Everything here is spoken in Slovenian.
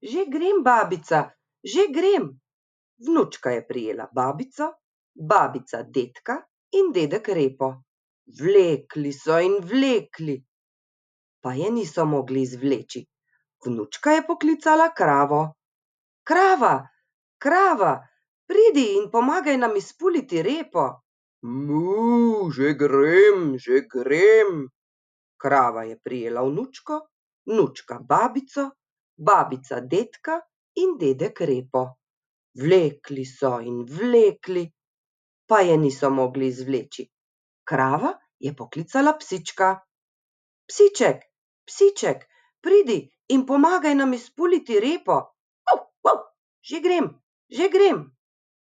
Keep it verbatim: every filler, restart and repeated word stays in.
Že grem, babica, že grem. Vnučka je prijela babico, babica dedka in dedek repo. Vlekli so in vlekli, pa je niso mogli izvleči. Vnučka je poklicala kravo. Krava, krava, pridi in pomagaj nam izpuliti repo. Mu, že grem, že grem. Krava je prijela vnučko, vnučka babico, babica dedka in dedek repo. Vlekli so in vlekli, pa je niso mogli izvleči. Krava je poklicala psička. Psiček, psiček, pridi in pomagaj nam izpuliti repo. Že grem, že grem.